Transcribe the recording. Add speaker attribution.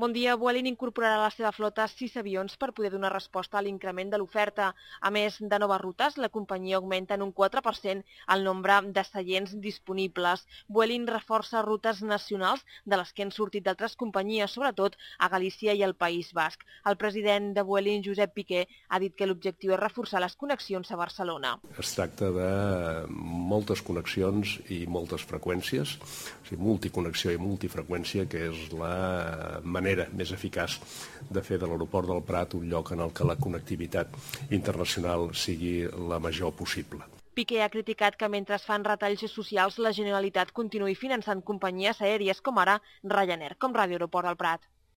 Speaker 1: Bon dia. Vueling incorporarà a la seva flota 6 avions per poder donar resposta a l'increment de l'oferta. A més de noves rutes, la companyia augmenta en un 4% el nombre de seients disponibles. Vueling reforça rutes nacionals de les que han sortit d'altres companyies, sobretot a Galícia i al País Basc. El president de Vueling, Josep Piqué, ha dit que l'objectiu és reforçar les connexions a Barcelona.
Speaker 2: Es tracta de moltes connexions i moltes freqüències, o sigui, multiconnexió i multifreqüència, que és la manera més eficaç de fer de l'aeroport del Prat un lloc en el que la connectivitat internacional sigui la major possible.
Speaker 1: Piqué ha criticat que mentre es fan retalls socials la Generalitat continuï finançant companyies aèries com ara Ryanair, com Ràdio Aeroport del Prat.